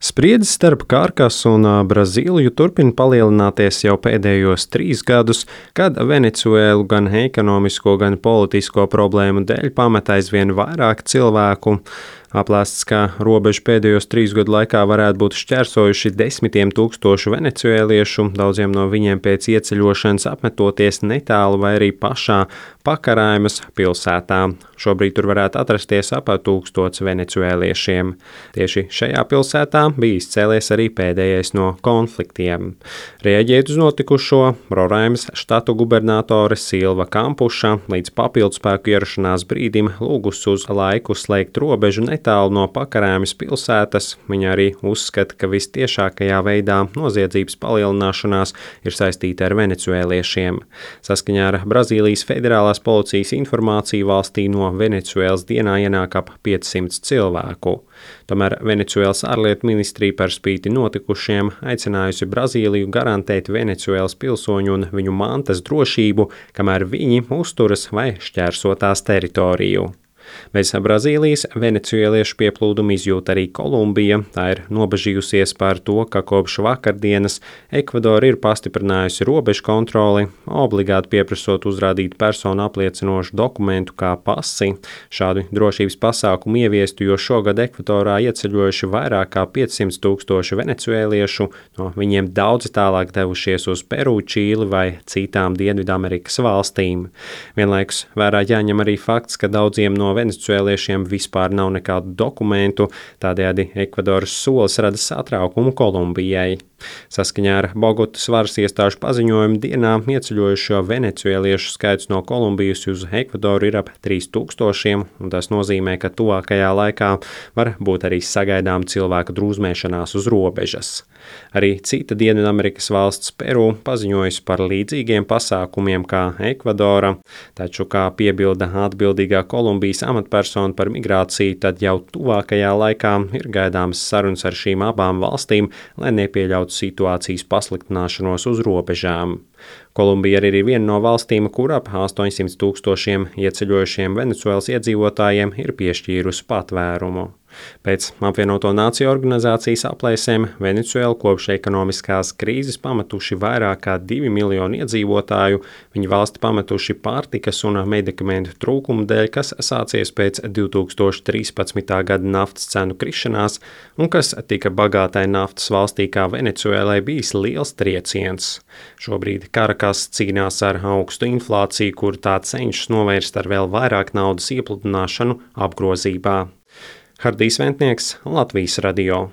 Spriedzes starp Karkasu un Brazīliju turpina palielināties jau pēdējos 3 gadus, kad Venecuēlu gan ekonomisko, gan politisko problēmu dēļ pamet aizvien vairāk cilvēku. Aplēsts, ka robežu pēdējos 3 gadu laikā varētu būt šķērsojuši desmitiem tūkstošu venecuēliešu, daudziem no viņiem pēc ieceļošanas apmetoties netālu vai arī pašā Pakaraimas pilsētā. Šobrīd tur varētu atrasties ap 1000 venecuēliešiem. Tieši šajā pilsētā bija izcēlies arī pēdējais no konfliktiem. Reaģēt uz notikušo, Roraimas štatu gubernatore Silva Kampuša līdz papildspēku ierašanās brīdim lūgus uz laiku slēgt robežu netālu no Pakaraimas pilsētas. Viņa arī uzskata, ka vistiešākajā veidā noziedzības palielināšanās ir saistīta ar venecuēliešiem. Saskaņā ar Brazīlijas federālās policijas informāciju valstī no Venecuēlas dienā ienāk ap 500 cilvēku. Tomēr Venecuēlas ārlietu ministrija par spīti notikušiem aicinājusi Brazīliju garantēt Venecuēlas pilsoņu un viņu mantas drošību, kamēr viņi uzturas vai šķērso tās teritoriju. Bez Brazīlijas venecuēliešu pieplūdumu izjūt arī Kolumbija. Tā ir nobažījusies par to, ka kopš vakardienas Ekvadora ir pastiprinājusi robežu kontroli, obligāti pieprasot uzrādīt personu apliecinošu dokumentu kā pasi. Šādu drošības pasākumu ieviestu, jo šogad Ekvadorā ieceļojuši vairāk kā 500 tūkstoši venecuēliešu, no viņiem daudzi tālāk devušies uz Peru, Čīli vai citām Dienvidamerikas valstīm. Vienlaikus vērā jāņem arī fakts, ka daudziem no venecuēliešiem vispār nav nekādu dokumentu, tādējādi Ekvadoras solis rada satraukumu Kolumbijai. Saskaņā ar Bogotas varas iestāžu paziņojumu dienā ieceļojušo venecuēliešu skaits no Kolumbijas uz Ekvadoru ir ap 3000, un tas nozīmē, ka tuvākajā laikā var būt arī sagaidām cilvēku drūzmēšanās uz robežas. Arī cita Dienvidamerikas valsts Peru paziņojusi par līdzīgiem pasākumiem kā Ekvadora, taču, kā piebilda atbildīgā Kolumbijas amatpersona par migrāciju, tad jau tuvākajā laikā ir gaidāmas sarunas ar šīm abām valstīm, lai nepieļautu situācijas pasliktināšanos uz robežām. Kolumbija ir arī viena no valstīm, kur ap 800 tūkstošiem ieceļojušiem Venecuēlas iedzīvotājiem ir piešķīrusi patvērumu. Pēc apvienoto nāciju organizācijas aplēsēm Venecuēlu kopš ekonomiskās krīzes pametuši vairāk kā 2 miljoni iedzīvotāju. Viņi valsti pametuši pārtikas un medikamentu trūkumu dēļ, kas sācies pēc 2013. gada naftas cenu krišanās un kas tika bagātai naftas valstī kā Venecuēlai bijis liels trieciens. Šobrīd Karakas cīnās ar augstu inflāciju, kur tā cenšas novērst ar vēl vairāk naudas iepludināšanu apgrozībā. Hardijs Ventnieks, Latvijas radio.